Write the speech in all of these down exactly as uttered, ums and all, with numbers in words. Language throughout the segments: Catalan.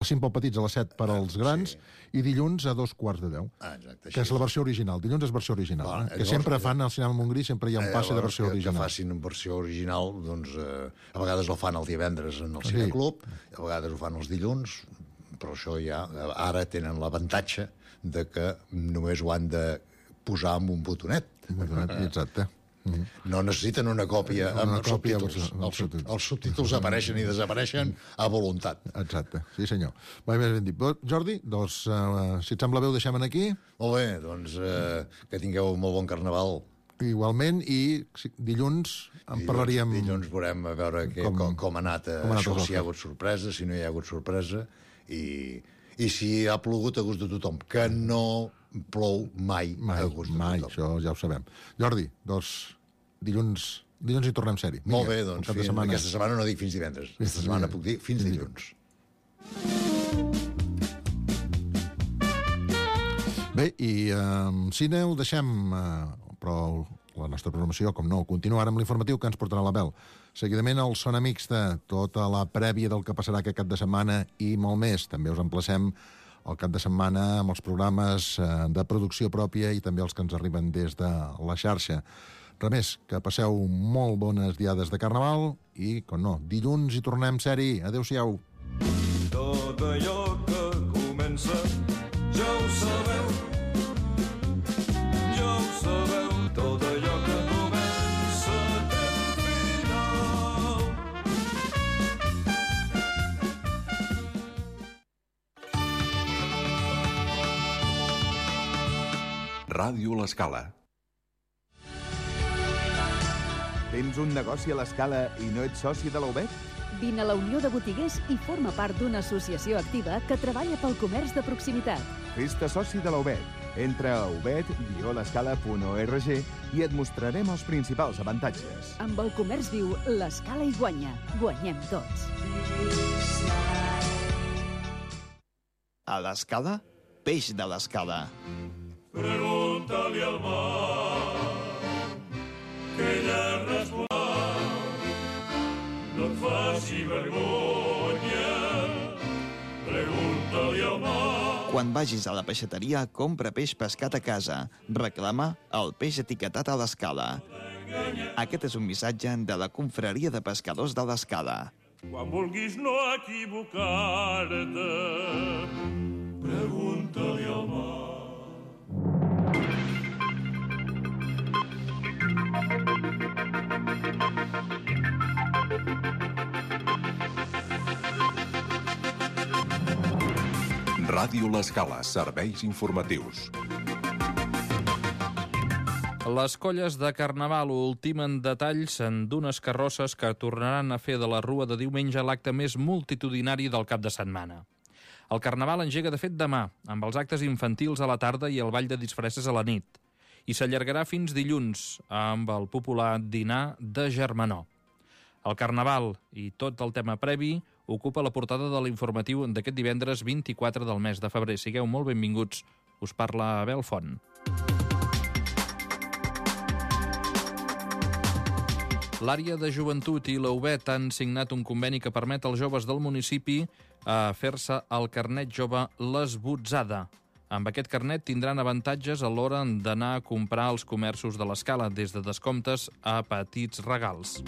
cinc pel petits, a les set per als grans, sí. I dilluns a dos quarts de deu. Ah, exacte, que és la versió original. Dilluns és versió original. Clar, eh? Que llavors, sempre fan al cinema Montgrí, sempre hi ha un passe de versió que, original. Que facin versió original, doncs, eh, a vegades el fan el divendres en el Cineclub, sí. A vegades ho fan els dilluns, però això ja, ara tenen l'avantatge de que només ho han de posar amb un botonet. Un botonet, exacte. Mm-hmm. No necessiten una còpia amb els subtítols. Els, els subtítols apareixen i desapareixen a voluntat. Exacte, sí senyor. Molt més ben dit. Jordi, doncs, uh, si et sembla bé ho deixem aquí. Molt bé, doncs uh, que tingueu molt bon carnaval. Igualment, i dilluns en parlaríem... Dilluns veurem a veure que, com, com, com ha anat, com ha anat això, si hi ha hagut sorpresa, si no hi ha hagut sorpresa, i, i si ha plogut a gust de tothom, que no plou mai, mai a gust de mai, tothom. Això ja ho sabem. Jordi, doncs, dilluns, dilluns hi tornem sèrie. Molt bé, doncs, fins, setmana... aquesta setmana no dic fins divendres, aquesta setmana puc dir fins dilluns. Bé, i um, cine ho deixem, uh, però la nostra programació, com no, continuar amb l'informatiu que ens portarà la Bel. Seguidament el Sona Mixta, tota la prèvia del que passarà aquest cap de setmana i molt més. També us emplacem el cap de setmana amb els programes uh, de producció pròpia i també els que ens arriben des de la xarxa. Res més, que passeu molt bones diades de Carnaval i, com no, dilluns hi tornem sèrie. Adéu-siau. Tot allò que comença ja ho sabeu, ja ho sabeu, tot allò que comença té un final. Ràdio L'Escala. Tens un negoci a l'Escala i no ets soci de la U B E T? Vine a la Unió de Botiguers i forma part d'una associació activa que treballa pel comerç de proximitat. Fes-te soci de la U B E T. Entra a ubet guió l'escala punt org i et mostrarem els principals avantatges. Amb el comerç viu, l'Escala hi guanya. Guanyem tots. A l'Escala, peix de l'Escala. Pregunta-li al mar que ella respondrà. No et faci vergonya, pregunta-li al mar. Quan vagis a la peixateria, compra peix pescat a casa. Reclama el peix etiquetat a l'Escala. Aquest és un missatge de la Confraria de Pescadors de l'Escala. Quan vulguis no equivocar-te, pregunta-li al mar. Ràdio L'Escala, serveis informatius. Les colles de Carnaval ultimen detalls d'unes carrosses que tornaran a fer de la Rua de diumenge l'acte més multitudinari del cap de setmana. El Carnaval engega de fet demà, amb els actes infantils a la tarda i el ball de disfresses a la nit, i s'allargarà fins dilluns amb el popular dinar de Germanor. El Carnaval i tot el tema previ ocupa la portada de l'informatiu d'aquest divendres vint-i-quatre del mes de febrer. Sigueu molt benvinguts. Us parla Abel Font. L'àrea de joventut i la U B E T han signat un conveni que permet als joves del municipi a fer-se el carnet jove l'esbotzada. Amb aquest carnet tindran avantatges a l'hora d'anar a comprar als comerços de l'Escala, des de descomptes a petits regals.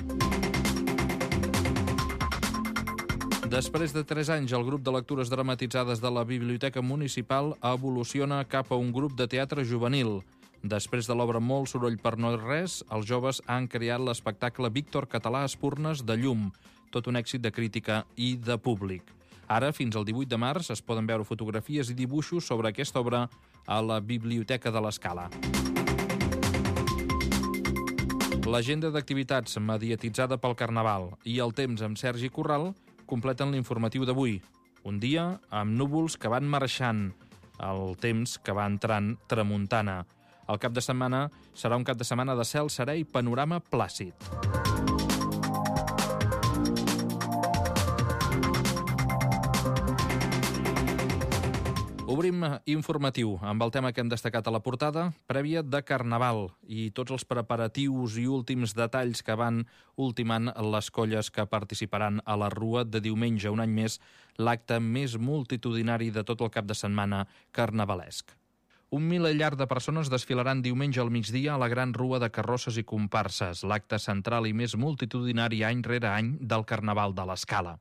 Després de tres anys, el grup de lectures dramatitzades de la Biblioteca Municipal evoluciona cap a un grup de teatre juvenil. Després de l'obra Molt soroll per no res, els joves han creat l'espectacle Víctor Català Espurnes de llum, tot un èxit de crítica i de públic. Ara, fins al divuit de març, es poden veure fotografies i dibuixos sobre aquesta obra a la Biblioteca de l'Escala. L'agenda d'activitats mediatitzada pel Carnaval i el temps amb Sergi Corral completen l'informatiu d'avui. Un dia amb núvols que van marxant, el temps que va entrant tramuntana. El cap de setmana serà un cap de setmana de cel serè i panorama plàcid. Obrim informatiu amb el tema que hem destacat a la portada, prèvia de Carnaval i tots els preparatius i últims detalls que van ultimant les colles que participaran a la Rua de diumenge, un any més, l'acte més multitudinari de tot el cap de setmana carnavalesc. Un milellar de persones desfilaran diumenge al migdia a la gran Rua de carrosses i comparses, l'acte central i més multitudinari any rere any del Carnaval de l'Escala.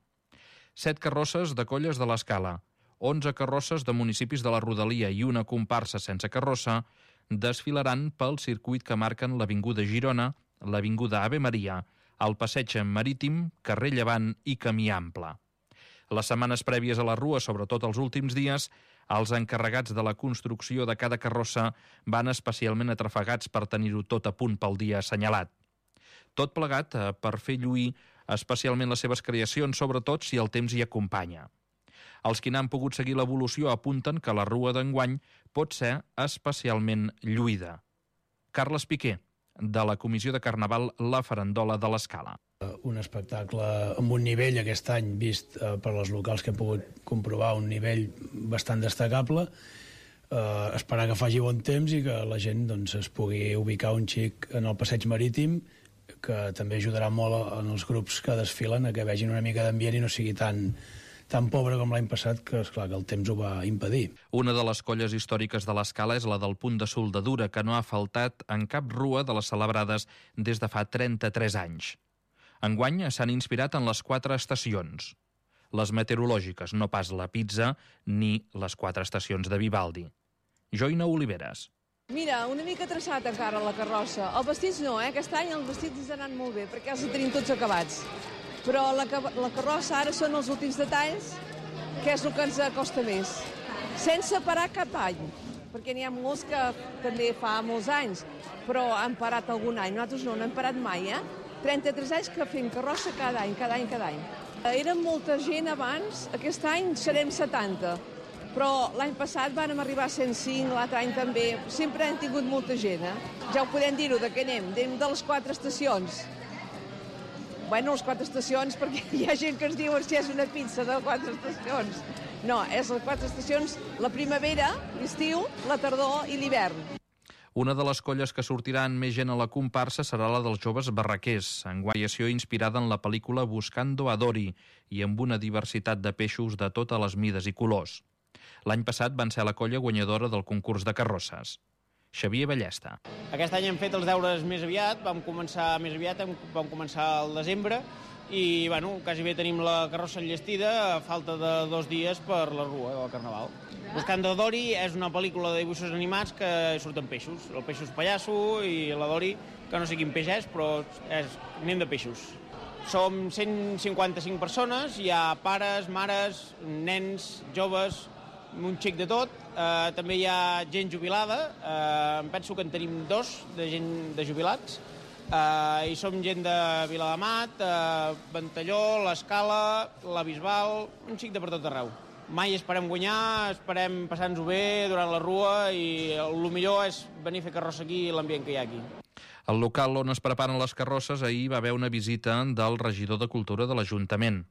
Set carrosses de colles de l'Escala, onze carrosses de municipis de la Rodalia i una comparsa sense carrossa desfilaran pel circuit que marquen l'Avinguda Girona, l'Avinguda Ave Maria, el Passeig Marítim, Carrer Llevant i Camí Ample. Les setmanes prèvies a la Rua, sobretot els últims dies, els encarregats de la construcció de cada carrossa van especialment atrafegats per tenir-ho tot a punt pel dia assenyalat. Tot plegat per fer lluir especialment les seves creacions, sobretot si el temps hi acompanya. Els qui n'han pogut seguir l'evolució apunten que la Rua d'enguany pot ser especialment lluïda. Carles Piqué, de la Comissió de Carnaval La Farandola de l'Escala. Un espectacle amb un nivell aquest any vist eh, per les locals que hem pogut comprovar, un nivell bastant destacable. Eh, esperar que faci bon temps i que la gent doncs, es pugui ubicar un xic en el passeig marítim, que també ajudarà molt en els grups que desfilen a que vegin una mica d'ambient i no sigui tan, tan pobre com l'any passat, que esclar que el temps ho va impedir. Una de les colles històriques de l'Escala és la del Punt de Soldadura, que no ha faltat en cap rua de les celebrades des de fa trenta-tres anys. Enguany s'han inspirat en les quatre estacions. Les meteorològiques, no pas la pizza ni les quatre estacions de Vivaldi. Joina Oliveres. Mira, una mica traçat encara la carrossa. Els vestits no, eh? Aquest any els vestits ens han anat molt bé, perquè els tenim tots acabats. Però la, la carrossa ara són els últims detalls, que és el que ens costa més. Sense parar cap any, perquè n'hi ha molts que també fa molts anys, però han parat algun any. Nosaltres no, no hem parat mai, eh? trenta-tres anys que fem carrossa cada any, cada any, cada any. Érem molta gent abans, aquest any serem setanta, però l'any passat vàrem arribar a cent cinc, l'altre any també. Sempre hem tingut molta gent, eh? Ja ho podem dir-ho, de què anem? Anem de les quatre estacions. Bueno, les quatre estacions, perquè hi ha gent que ens diuen si és una pizza de quatre estacions. No, és les quatre estacions, la primavera, l'estiu, la tardor i l'hivern. Una de les colles que sortiran més gent a la comparsa serà la dels joves barraquers, en variació inspirada en la pel·lícula Buscando a Dory i amb una diversitat de peixos de totes les mides i colors. L'any passat van ser la colla guanyadora del concurs de carrosses. Xavier Ballesta. Aquest any hem fet els deures més aviat, vam començar més aviat, vam començar al desembre i, bueno, quasi bé tenim la carrossa enllestida a falta de dos dies per la Rua del Carnaval. Buscando a Dory és una pel·lícula de dibuixos animats que surten peixos. El peixos pallasso i la Dory, que no sé quin peix és, però és, anem de peixos. Som cent cinquanta-cinc persones, hi ha pares, mares, nens, joves, un xic de tot. Eh, també hi ha gent jubilada, eh, em penso que en tenim dos de gent de jubilats. Uh, i som gent de Viladamat, uh, Ventalló, l'Escala, la Bisbal, un xic de per tot arreu. Mai esperem guanyar, esperem passar-nos-ho bé durant la Rua i el millor és venir a fer carrossa aquí i l'ambient que hi ha aquí. Al local on es preparen les carrosses ahir va haver una visita del regidor de Cultura de l'Ajuntament.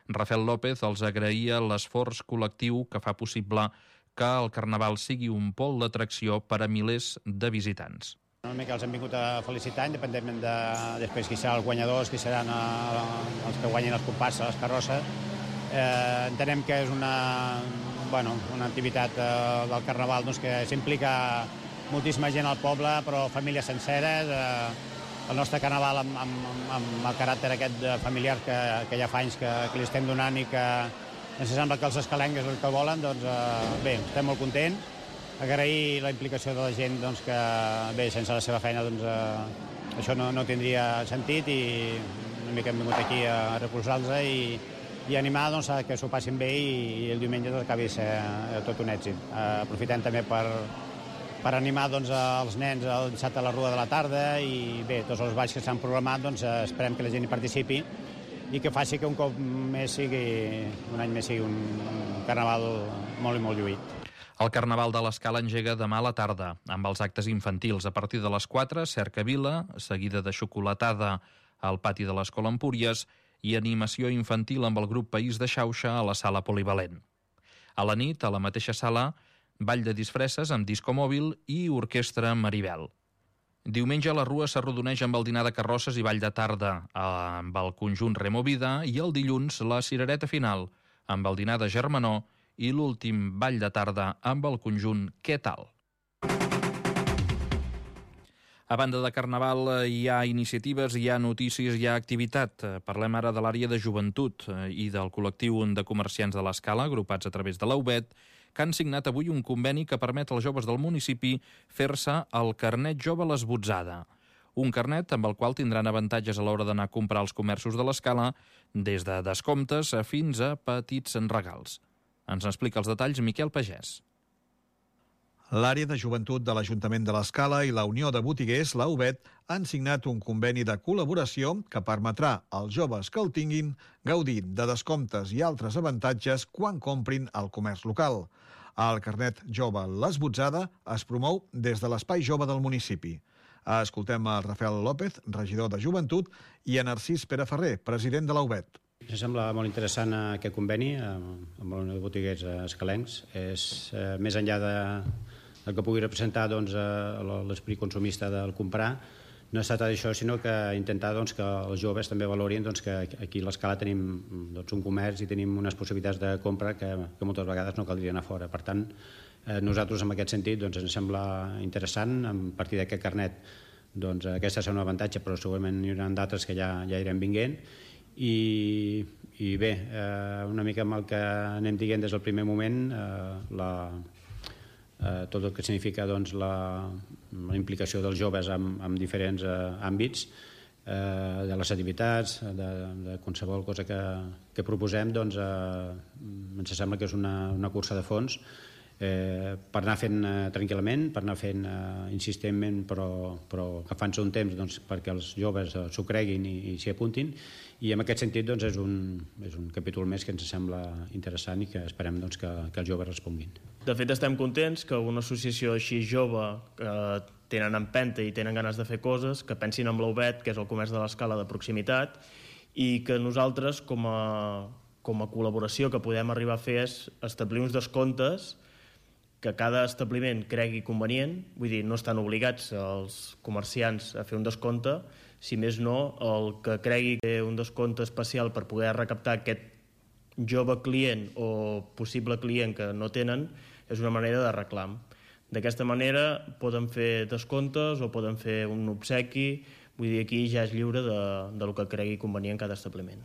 Rafael López els agraïa l'esforç col·lectiu que fa possible que el Carnaval sigui un pol d'atracció per a milers de visitants. Una mica els hem vingut a felicitar, independentment de després qui seran els guanyadors, qui seran els que guanyin les comparses, les carrosses. Eh, entenem que és una, bueno, una activitat eh, del Carnaval doncs, que s'implica moltíssima gent al poble, però famílies senceres. Eh, el nostre Carnaval amb, amb, amb el caràcter aquest familiar que, que ja fa anys que, que li estem donant i que ens sembla que els escalencs és el que volen, doncs eh, bé, estem molt contents. Agrair la implicació de la gent doncs, que, bé, sense la seva feina doncs, eh, això no, no tindria sentit i una mica hem vingut aquí a recolzar-los i, i animar doncs, a que s'ho passin bé i, i el diumenge doncs, acabi ser eh, tot un èxit. Eh, aprofitem també per, per animar doncs, els nens el dissabte a la Rua de la tarda i bé, tots els balls que s'han programat doncs, eh, esperem que la gent hi participi i que faci que un cop més sigui, un any més sigui un, un Carnaval molt i molt lluït. El Carnaval de l'Escala engega demà a la tarda, amb els actes infantils. A partir de les quatre, cercavila, seguida de xocolatada al pati de l'Escola Empúries i animació infantil amb el grup País de Xauxa a la sala polivalent. A la nit, a la mateixa sala, ball de disfresses amb disco mòbil i orquestra Maribel. Diumenge la rua s'arrodoneix amb el dinar de carrosses i ball de tarda amb el conjunt Removida i el dilluns la cirereta final amb el dinar de Germanó i l'últim ball de tarda amb el conjunt Què tal? A banda de Carnaval hi ha iniciatives, hi ha notícies, hi ha activitat. Parlem ara de l'àrea de joventut i del col·lectiu de comerciants de l'Escala, agrupats a través de l'A U B E T, que han signat avui un conveni que permet als joves del municipi fer-se el carnet jove l'esbotzada. Un carnet amb el qual tindran avantatges a l'hora d'anar a comprar als comerços de l'Escala, des de descomptes fins a petits regals. Ens explica els detalls Miquel Pagès. L'àrea de joventut de l'Ajuntament de l'Escala i la Unió de Botiguers, la U B E T, han signat un conveni de col·laboració que permetrà als joves que el tinguin gaudir de descomptes i altres avantatges quan comprin al comerç local. El carnet jove l'esbotzada es promou des de l'Espai Jove del municipi. Escoltem a Rafael López, regidor de Joventut, i a Narcís Pere Ferrer, president de la U B E T. Em sembla molt interessant aquest conveni amb la Unió de Botiguers escalencs. És eh, més enllà de, del que pugui representar doncs, l'esperit consumista del comprar, no es tracta d'això, sinó que intentar doncs, que els joves també valorin doncs, que aquí a l'Escala tenim doncs, un comerç i tenim unes possibilitats de compra que, que moltes vegades no caldria anar fora. Per tant, eh, nosaltres en aquest sentit doncs, ens sembla interessant, a partir d'aquest carnet, doncs, aquesta serà un avantatge, però segurament hi haurà d'altres que ja, ja irem vinguent. I, i bé, eh, una mica amb el que anem dient des del primer moment, eh, la, eh, tot el que significa doncs, la, la implicació dels joves en, en diferents eh, àmbits, eh, de les activitats, de, de qualsevol cosa que, que proposem, doncs, eh, ens sembla que és una, una cursa de fons eh, per anar fent eh, tranquil·lament, per anar fent eh, insistentment, però, però agafant-se un temps doncs, perquè els joves eh, s'ho creguin i, i s'hi apuntin. I en aquest sentit doncs, és, un, és un capítol més que ens sembla interessant i que esperem doncs, que, que els joves responguin. De fet, estem contents que una associació així jove, que tenen empenta i tenen ganes de fer coses, que pensin en l'A U B E T, que és el comerç de l'Escala de proximitat, i que nosaltres, com a, com a col·laboració que podem arribar a fer, és establir uns descomptes que cada establiment cregui convenient, vull dir, no estan obligats els comerciants a fer un descompte, si més no, el que cregui que un descompte especial per poder recaptar aquest jove client o possible client que no tenen és una manera de reclam. D'aquesta manera poden fer descomptes o poden fer un obsequi, vull dir, aquí ja és lliure de, de lo que cregui convenient cada establiment.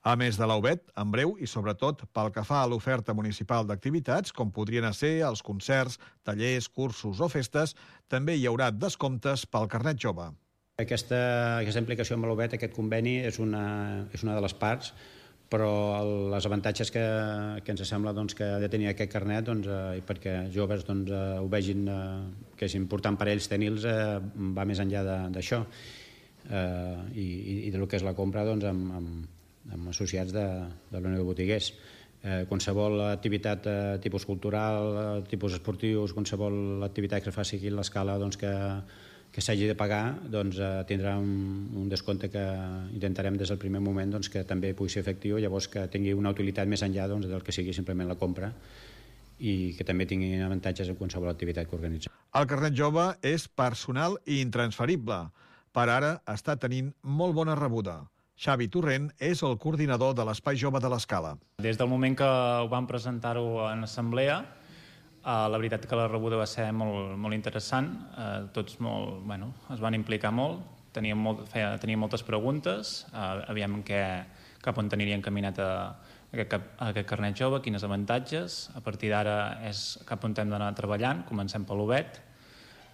A més de l'A U B E T, en breu i sobretot pel que fa a l'oferta municipal d'activitats, com podrien ser els concerts, tallers, cursos o festes, també hi haurà descomptes pel carnet jove. Aquesta, aquesta implicació amb l'A U B E T, aquest conveni, és una, és una de les parts, però el, els avantatges que, que ens sembla doncs, que ha de tenir aquest carnet, doncs, eh, perquè els joves doncs, eh, ho vegin eh, que és important per ells tenir-los, eh, va més enllà d'això eh, i, i del que és la compra doncs, amb, amb, amb associats de, de la Unió de Botiguers. Eh, qualsevol activitat eh, tipus cultural, eh, tipus esportius, qualsevol activitat que es faci aquí a l'Escala doncs, que que s'hagi de pagar, doncs, eh, tindrà un, un descompte que intentarem des del primer moment doncs, que també pugui ser efectiu, llavors que tingui una utilitat més enllà doncs, del que sigui simplement la compra i que també tingui avantatges en qualsevol activitat que organitzi. El carnet jove és personal i intransferible. Per ara està tenint molt bona rebuda. Xavi Torrent és el coordinador de l'Espai Jove de l'Escala. Des del moment que ho vam presentar-ho en assemblea, Uh, la veritat que la rebuda va ser molt, molt interessant, uh, tots molt, bueno, es van implicar molt, teníem, molt, feia, teníem moltes preguntes, uh, aviam què, cap on aniria encaminat a, a, aquest, a aquest carnet jove, quines avantatges, a partir d'ara és cap on hem d'anar treballant, comencem per l'U B E T,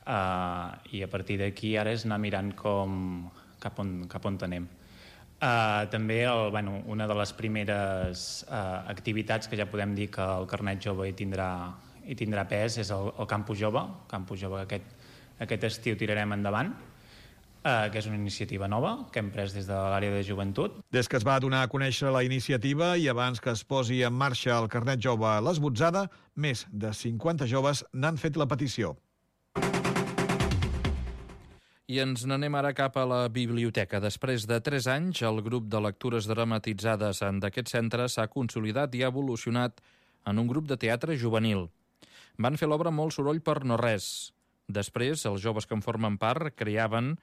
uh, i a partir d'aquí ara és anar mirant com, cap, on, cap on anem. Uh, també el, bueno, una de les primeres uh, activitats que ja podem dir que el carnet jove hi tindrà i tindrà pes és el, el Campus Jove. El Campus Jove aquest, aquest estiu tirarem endavant, eh, que és una iniciativa nova que hem pres des de l'àrea de joventut. Des que es va donar a conèixer la iniciativa i abans que es posi en marxa el carnet jove a l'esbotzada, més de cinquanta joves n'han fet la petició. I ens n'anem ara cap a la biblioteca. Després de tres anys, el grup de lectures dramatitzades d'aquest centre s'ha consolidat i ha evolucionat en un grup de teatre juvenil. Van fer l'obra molt soroll per no res. Després, els joves que en formen part creaven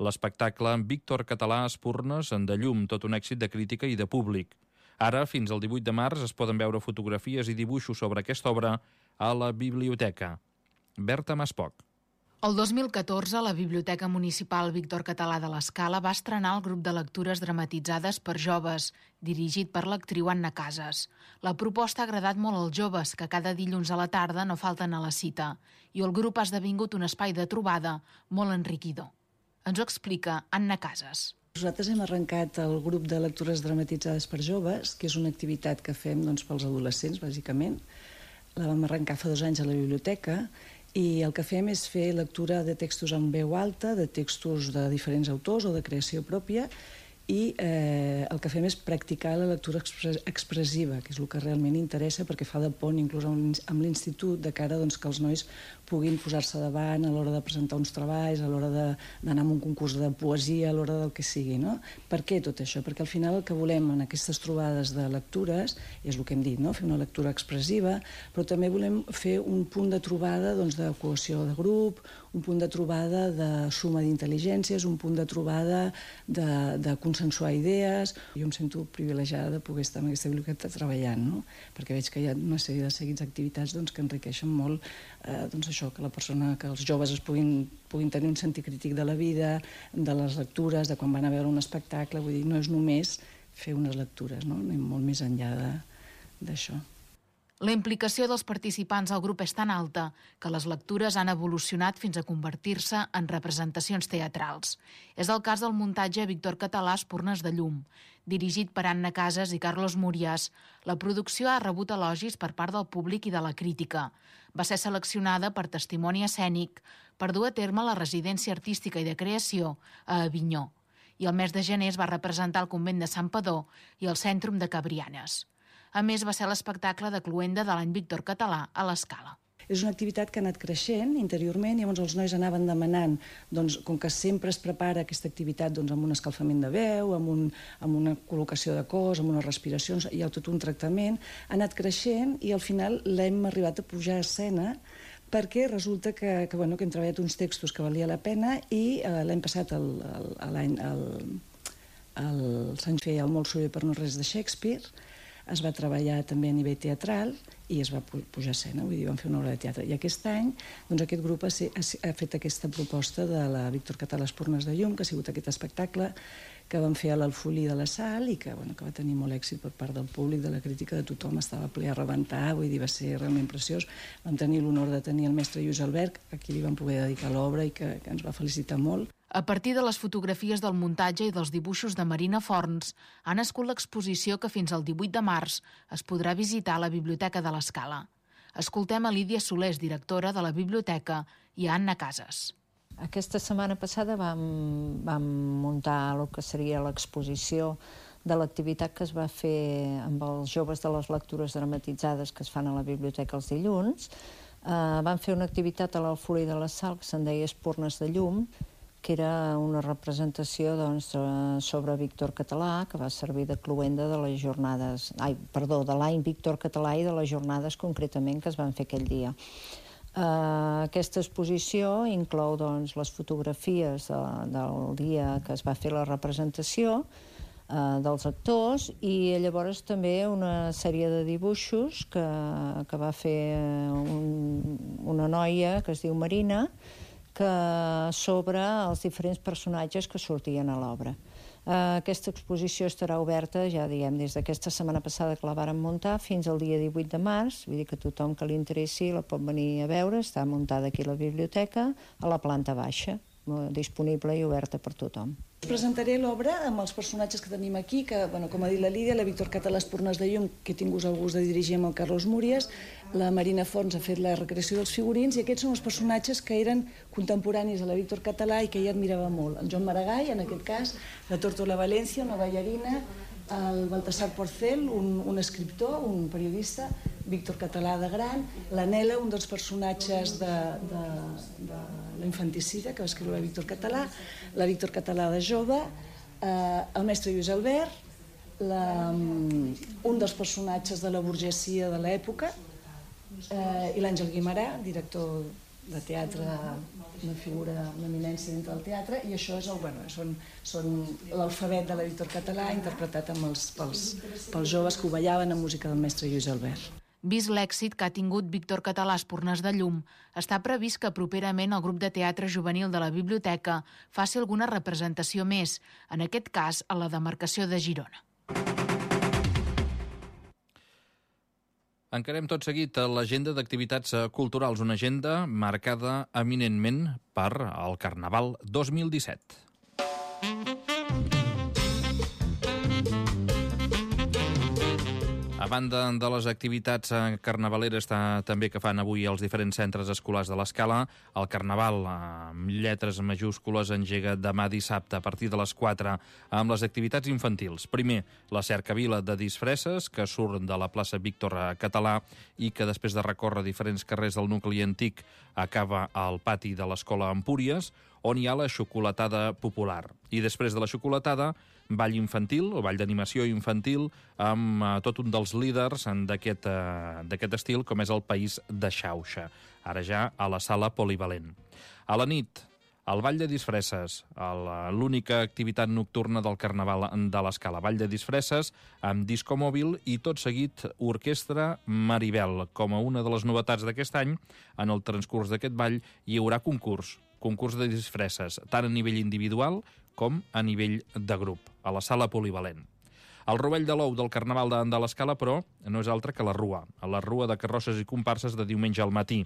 l'espectacle Víctor Català Espurnes en de llum, tot un èxit de crítica i de públic. Ara, fins al divuit de març, es poden veure fotografies i dibuixos sobre aquesta obra a la biblioteca. Berta Maspoc. El dos mil catorze, la Biblioteca Municipal Víctor Català de l'Escala va estrenar el grup de lectures dramatitzades per joves, dirigit per l'actriu Anna Casas. La proposta ha agradat molt als joves, que cada dilluns a la tarda no falten a la cita, i el grup ha esdevingut un espai de trobada molt enriquidor. Ens ho explica Anna Casas. Nosaltres hem arrencat el grup de lectures dramatitzades per joves, que és una activitat que fem doncs, pels adolescents, bàsicament. La vam arrencar fa dos anys a la biblioteca, i el que fem és fer lectura de textos en veu alta, de textos de diferents autors o de creació pròpia, i eh, el que fem és practicar la lectura expressiva, que és el que realment interessa, perquè fa de pont inclús amb l'institut, de cara doncs, que els nois puguin posar-se davant a l'hora de presentar uns treballs, a l'hora d'anar a un concurs de poesia, a l'hora del que sigui. No? Per què tot això? Perquè al final el que volem en aquestes trobades de lectures, és el que hem dit, no? Fer una lectura expressiva, però també volem fer un punt de trobada doncs, de cohesió de grup, un punt de trobada de suma d'intel·ligències, un punt de trobada de, de consensuar idees. Jo em sento privilegiada de poder estar en aquesta biblioteca treballant, no? Perquè veig que hi ha una sèrie de seguits activitats doncs, que enriqueixen molt eh, doncs això, que la persona, que els joves es puguin, puguin tenir un sentit crític de la vida, de les lectures, de quan van a veure un espectacle. Vull dir, no és només fer unes lectures, no? Anem molt més enllà d'això. La implicació dels participants al grup és tan alta que les lectures han evolucionat fins a convertir-se en representacions teatrals. És el cas del muntatge Víctor Català Espurnes de llum. Dirigit per Anna Casas i Carlos Murias, la producció ha rebut elogis per part del públic i de la crítica. Va ser seleccionada per Testimoni Escènic per dur a terme la residència artística i de creació a Avinyó. I el mes de gener es va representar al convent de Sant Padó i al Cèntrum de Cabrianes. A més, va ser l'espectacle de cloenda de l'any Víctor Català a l'Escala. És una activitat que ha anat creixent interiorment i llavors els nois anaven demanant, doncs, com que sempre es prepara aquesta activitat doncs, amb un escalfament de veu, amb, un, amb una col·locació de cos, amb unes respiracions, hi ha tot un tractament, ha anat creixent i al final l'hem arribat a pujar a escena perquè resulta que, que, bueno, que hem treballat uns textos que valia la pena i eh, l'hem passat el, el, l'any el, el Sant Fe el molt soroll per no res de Shakespeare. Es va treballar també a nivell teatral i es va pujar a escena, vull dir, vam fer una obra de teatre. I aquest any, doncs, aquest grup ha, ha fet aquesta proposta de la Víctor Català Espurnes de llum, que ha sigut aquest espectacle que vam fer a l'Alfolí de la Sal i que, bueno, que va tenir molt èxit per part del públic, de la crítica, de tothom, estava ple a rebentar, vull dir, va ser realment preciós. Vam tenir l'honor de tenir el mestre Lluís Albert, a qui li vam poder dedicar l'obra i que, que ens va felicitar molt. A partir de les fotografies del muntatge i dels dibuixos de Marina Forns, ha nascut l'exposició que fins al divuit de març es podrà visitar a la Biblioteca de l'Escala. Escoltem a Lídia Solés, directora de la biblioteca, i a Anna Casas. Aquesta setmana passada vam, vam muntar el que seria l'exposició de l'activitat que es va fer amb els joves de les lectures dramatitzades que es fan a la biblioteca els dilluns. Uh, vam fer una activitat a l'Alfolí de la Sal que se'n deia Espurnes de llum, que era una representació doncs, sobre Víctor Català, que va servir de cloenda de les jornades, ai, perdó, de l'any Víctor Català i de les jornades concretament que es van fer aquell dia. Uh, aquesta exposició inclou doncs, les fotografies de, del dia que es va fer la representació uh, dels actors i llavors també una sèrie de dibuixos que, que va fer un, una noia que es diu Marina, que sobre els diferents personatges que sortien a l'obra. Uh, aquesta exposició estarà oberta, ja diguem, des d'aquesta setmana passada que la vàrem muntar fins al dia divuit de març, vull dir que tothom que li interessi la pot venir a veure, està muntada aquí a la biblioteca, a la planta baixa, disponible i oberta per tothom. Us presentaré l'obra amb els personatges que tenim aquí, que, bueno, com ha dit la Lídia, la Víctor Català Espurnes de llum, que he tingut el gust de dirigir amb el Carlos Murias, la Marina Forns ha fet la recreació dels figurins, i aquests són els personatges que eren contemporanis a la Víctor Català i que ella admirava molt. El Joan Maragall, en aquest cas, la Tórtola València, una ballarina, el Baltasar Porcel, un, un escriptor, un periodista, Víctor Català de gran, la Nela, un dels personatges de, de, de la infanticida que va escriure la Víctor Català, la Víctor Català de jove, eh, el mestre Lluís Albert, la, un dels personatges de la burgesia de l'època, eh, i l'Àngel Guimarà, director de teatre, una figura, una eminència dintre del teatre, i això és el, bueno, són, són l'alfabet de l'editor català interpretat amb els, pels, pels joves que ho ballaven amb música del mestre Lluís Albert. Vist l'èxit que ha tingut Víctor Català a Espurnes de Llum, està previst que properament el grup de teatre juvenil de la biblioteca faci alguna representació més, en aquest cas a la demarcació de Girona. Encarem tot seguit l'agenda d'activitats culturals, una agenda marcada eminentment per el Carnaval dos mil disset. A banda de les activitats carnavaleres també que fan avui els diferents centres escolars de l'Escala, el Carnaval, amb lletres majúscules, engega demà dissabte a partir de les quatre amb les activitats infantils. Primer, la cercavila de disfresses, que surt de la plaça Víctor Català i que després de recórrer diferents carrers del nucli antic acaba al pati de l'Escola Empúries, on hi ha la xocolatada popular. I després de la xocolatada, ball infantil, o ball d'animació infantil, amb uh, tot un dels líders d'aquest uh, estil, com és el País de Xauxa, ara ja a la sala polivalent. A la nit, el ball de disfresses, l'única activitat nocturna del Carnaval de l'Escala. Ball de disfresses amb disco mòbil i tot seguit orquestra Maribel. Com a una de les novetats d'aquest any, en el transcurs d'aquest ball hi haurà concurs, concurs de disfresses, tant a nivell individual com a nivell de grup, a la sala polivalent. El rovell de l'ou del Carnaval de, de l'Escala, però, no és altre que la rua, la rua de carrosses i comparses de diumenge al matí.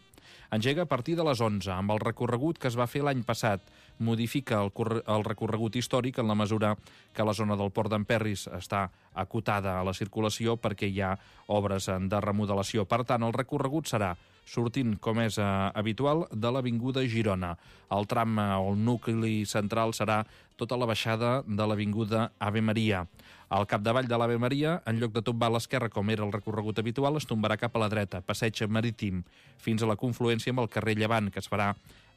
Engega a partir de les onze, amb el recorregut que es va fer l'any passat. Modifica el, el recorregut històric en la mesura que la zona del Port d'Emperris està acotada a la circulació perquè hi ha obres de remodelació. Per tant, el recorregut serà sortint, com és eh, habitual, de l'Avinguda Girona. El tram eh, o el nucli central serà tota la baixada de l'Avinguda Ave Maria. Al capdavall de l'Ave Maria, en lloc de tombar a l'esquerra, com era el recorregut habitual, es tombarà cap a la dreta, passeig marítim, fins a la confluència amb el carrer Llevant, que es farà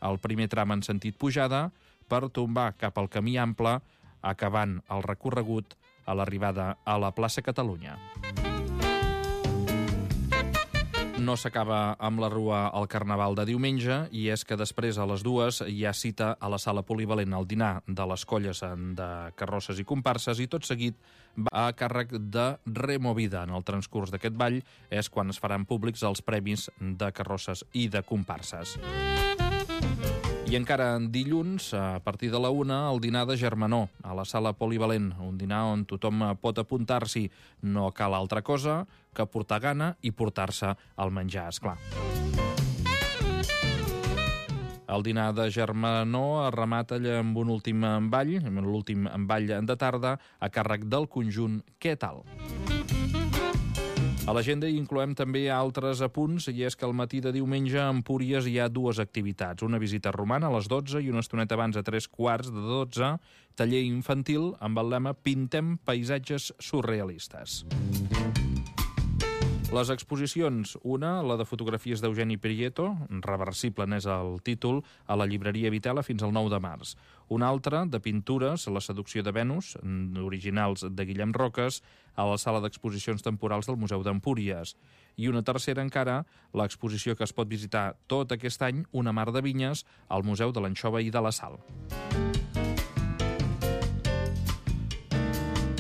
el primer tram en sentit pujada, per tombar cap al camí ample, acabant el recorregut a l'arribada a la plaça Catalunya. No s'acaba amb la rua al Carnaval de diumenge, i és que després a les dues hi ha cita a la sala polivalent al dinar de les colles de carrosses i comparses, i tot seguit va a càrrec de Removida. En el transcurs d'aquest ball és quan es faran públics els premis de carrosses i de comparses. I encara dilluns, a partir de la una, el dinar de Germanó, a la sala polivalent, un dinar on tothom pot apuntar-s'hi. No cal altra cosa que portar gana i portar-se el menjar, esclar. El dinar de Germanó es remata amb un últim ball, l'últim ball de tarda, a càrrec del conjunt Què tal? A l'agenda hi incloem també altres apunts, i és que al matí de diumenge a Empúries hi ha dues activitats. Una visita romana a les dotze i una estoneta abans a tres quarts de dotze, taller infantil amb el lema Pintem paisatges surrealistes. Les exposicions, una, la de fotografies d'Eugeni Prieto, Reversible n'és el títol, a la llibreria Vitela fins al nou de març. Una altra, de pintures, La seducció de Venus, originals de Guillem Roques, a la sala d'exposicions temporals del Museu d'Empúries. I una tercera encara, l'exposició que es pot visitar tot aquest any, Una mar de vinyes, al Museu de l'Anxova i de la Sal.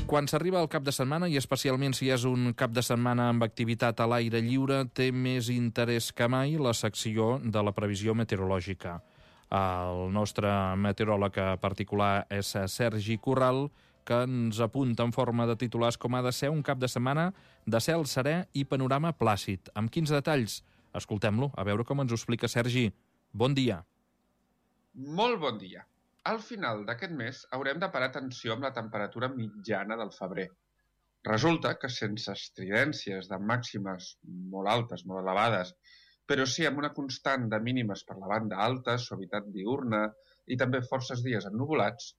Quan s'arriba al cap de setmana, i especialment si és un cap de setmana amb activitat a l'aire lliure, té més interès que mai la secció de la previsió meteorològica. El nostre meteoròleg particular és Sergi Corral, que ens apunta en forma de titulars com ha de ser un cap de setmana de cel serè i panorama plàcid. Amb quins detalls? Escoltem-lo, a veure com ens ho explica Sergi. Bon dia. Molt bon dia. Al final d'aquest mes haurem de parar atenció amb la temperatura mitjana del febrer. Resulta que sense estridències de màximes molt altes, molt elevades, però sí amb una constant de mínimes per la banda alta, suavitat diurna i també forces dies ennuvolats,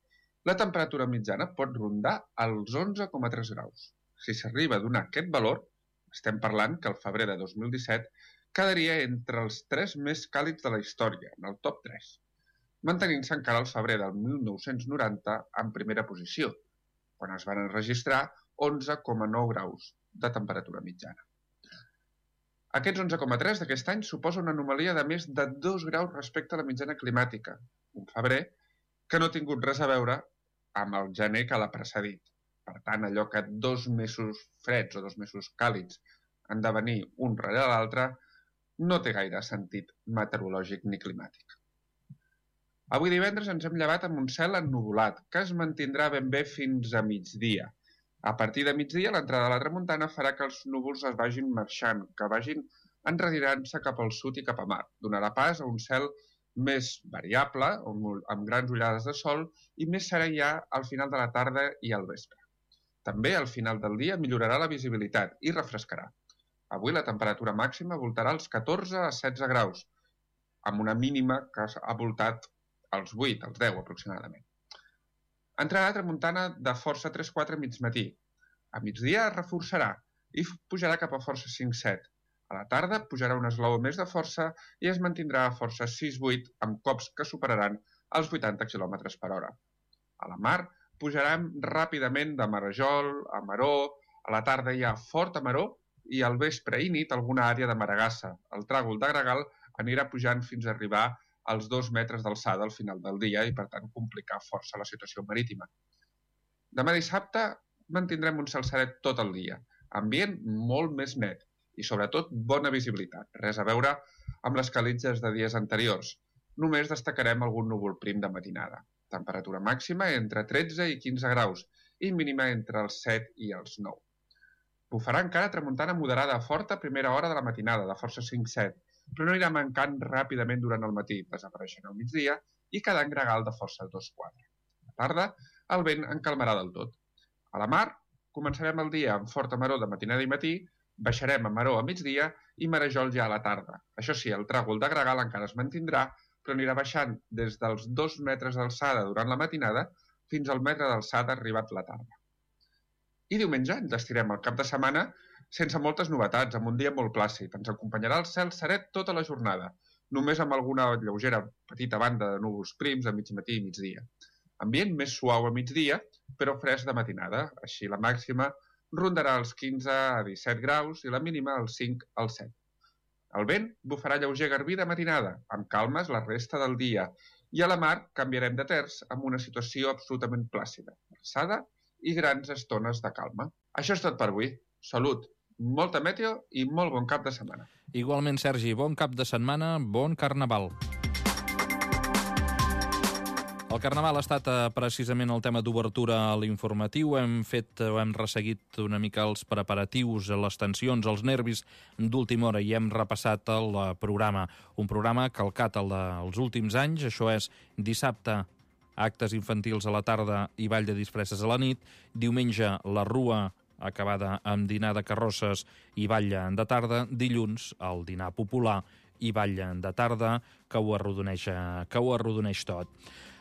la temperatura mitjana pot rondar els onze coma tres graus. Si s'arriba a donar aquest valor, estem parlant que el febrer de dos mil disset quedaria entre els tres més càlids de la història, en el top tres. Mantenint-se encara el febrer del mil nou-cents noranta en primera posició, quan es van enregistrar onze coma nou graus de temperatura mitjana. Aquests onze coma tres d'aquest any suposa una anomalia de més de dos graus respecte a la mitjana climàtica, un febrer que no ha tingut res a veure amb el gener que l'ha precedit. Per tant, allò que dos mesos freds o dos mesos càlids han de venir un rere l'altre no té gaire sentit meteorològic ni climàtic. Avui divendres ens hem llevat amb un cel ennuvolat, que es mantindrà ben bé fins a migdia. A partir de migdia, l'entrada de la tramuntana farà que els núvols es vagin marxant, que vagin enredirant-se cap al sud i cap a mar. Donarà pas a un cel més variable, amb grans ullades de sol, i més serè ja al final de la tarda i al vespre. També al final del dia millorarà la visibilitat i refrescarà. Avui la temperatura màxima voltarà als catorze a setze graus, amb una mínima que ha voltat als vuit, als deu aproximadament. Entrarà tramuntana de força tres quatre a mig matí. A migdia es reforçarà i pujarà cap a força cinc set. A la tarda pujarà un esglaó més de força i es mantindrà a força sis vuit amb cops que superaran els vuitanta quilòmetres per hora. A la mar pujarem ràpidament de Marajol a Maró, a la tarda hi ha fort a Maró i al vespre i nit alguna àrea de Maragassa. El tràgol de Gregal anirà pujant fins a arribar als dos metres d'alçada al final del dia i, per tant, complicar força la situació marítima. Demà dissabte mantindrem un cel serè tot el dia, ambient molt més net i, sobretot, bona visibilitat. Res a veure amb les calitges de dies anteriors. Només destacarem algun núvol prim de matinada. Temperatura màxima entre tretze i quinze graus i mínima entre els set i els nou. Bufarà encara tramuntana moderada a forta a primera hora de la matinada, de força cinc set, però no anirà mancant ràpidament durant el matí, desapareixent al migdia i quedant gregal de força dos quatre. A la tarda, el vent en calmarà del tot. A la mar, començarem el dia amb forta maró de matinada i matí, baixarem a Maró a migdia i Marajol ja a la tarda. Això sí, el tràgol de Gregal encara es mantindrà, però anirà baixant des dels dos metres d'alçada durant la matinada fins al metre d'alçada arribat la tarda. I diumenge ens estirem el cap de setmana sense moltes novetats, amb un dia molt plàcid. Ens acompanyarà el cel serè tota la jornada, només amb alguna lleugera petita banda de núvols prims a mig matí i migdia. Ambient més suau a migdia, però fresc de matinada. Així la màxima rondarà els quinze a disset graus i la mínima els cinc al set. El vent bufarà lleuger garbí de matinada, amb calmes la resta del dia, i a la mar canviarem de terç amb una situació absolutament plàcida, alçada i grans estones de calma. Això és tot per avui. Salut, molta meteo i molt bon cap de setmana. Igualment, Sergi, bon cap de setmana, bon carnaval. El Carnaval ha estat eh, precisament el tema d'obertura a l'informatiu. Hem fet, o hem resseguit una mica els preparatius, les tensions, els nervis d'última hora i hem repassat el programa. Un programa calcat el dels últims anys, això és dissabte, actes infantils a la tarda i ball de disfresses a la nit, diumenge la rua acabada amb dinar de carrosses i ball de tarda, dilluns el dinar popular i ball de tarda que ho arrodoneix, que ho arrodoneix tot.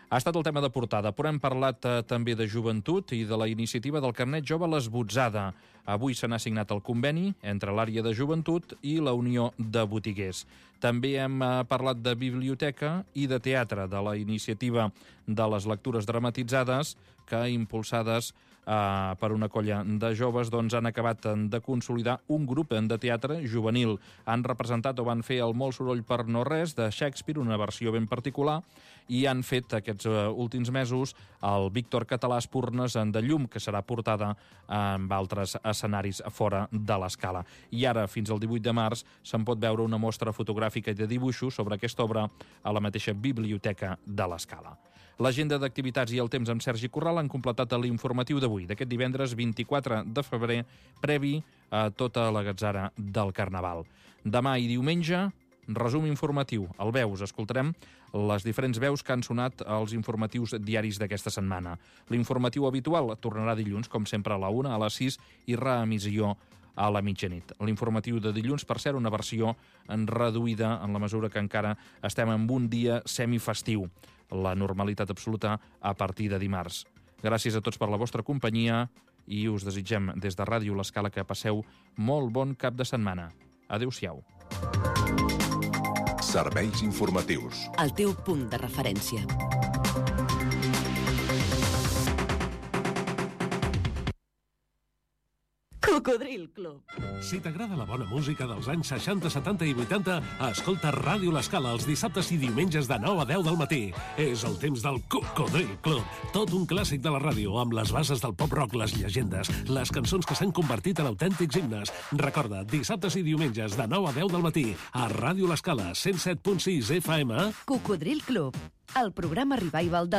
Ha estat el tema de portada, però hem parlat eh, també de joventut i de la iniciativa del carnet jove L'Esbotzada. Avui se n'ha signat el conveni entre l'àrea de joventut i la Unió de Botiguers. També hem eh, parlat de biblioteca i de teatre, de la iniciativa de les lectures dramatitzades que, impulsades eh, per una colla de joves, doncs, han acabat de consolidar un grup de teatre juvenil. Han representat o van fer el Molt soroll per no res de Shakespeare, una versió ben particular, i han fet aquests uh, últims mesos el Víctor Català Espurnes en de Llum, que serà portada amb altres escenaris fora de l'Escala. I ara, fins al divuit de març, se'n pot veure una mostra fotogràfica i de dibuixos sobre aquesta obra a la mateixa biblioteca de l'Escala. L'agenda d'activitats i el temps amb Sergi Corral han completat l'informatiu d'avui, d'aquest divendres vint-i-quatre de febrer, previ a tota la gatzara del Carnaval. Demà i diumenge, resum informatiu. El Veus, escoltarem les diferents veus que han sonat als informatius diaris d'aquesta setmana. L'informatiu habitual tornarà dilluns, com sempre, a la una, a les sis, i reemissió a la mitjanit. L'informatiu de dilluns, per cert, una versió reduïda en la mesura que encara estem en un dia semifestiu. La normalitat absoluta a partir de dimarts. Gràcies a tots per la vostra companyia i us desitgem des de Ràdio L'Escala que passeu molt bon cap de setmana. Adéu-siau. Serveis informatius. El teu punt de referència. Cocodril Club. Si t'agrada la bona música dels anys seixanta, setanta i vuitanta, escolta Ràdio L'Escala els dissabtes i diumenges de nou a deu del matí. És el temps del Cocodril Club. Tot un clàssic de la ràdio, amb les bases del pop-rock, les llegendes, les cançons que s'han convertit en autèntics himnes. Recorda, dissabtes i diumenges de nou a deu del matí, a Ràdio L'Escala, cent set punt sis F M. Cocodril Club, el programa revival de